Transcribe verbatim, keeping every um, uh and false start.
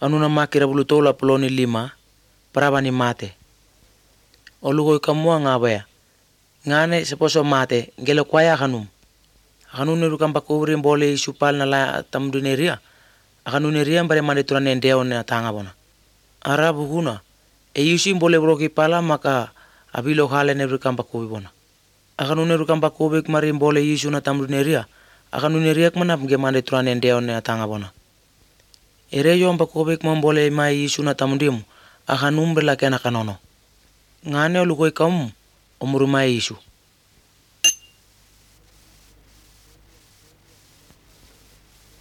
Kanuna makira bulu tola poloni lima, parabani mate. Olugo ikamua ngabaya. Ngane seposo mate, ngelo kwaya kanum. Kanune rukamba kubri mbole isupal na la tamduneria. Akanuneria mbare mande turane ndeo na tanga bona. Arabu huna. E yusi mbole broki pala maka abilo khale ne rukamba kubi bona. Akanune rukamba kubi kmari mbole yusu na tamduneria. Akanuneria kmana mge mande turane ndeo na tanga bona. Ere yo mba kubi kmambole mai yusu na tamundimu. Akanumbre la kena kanono. Ngane olugo ikamu omuruma yusu.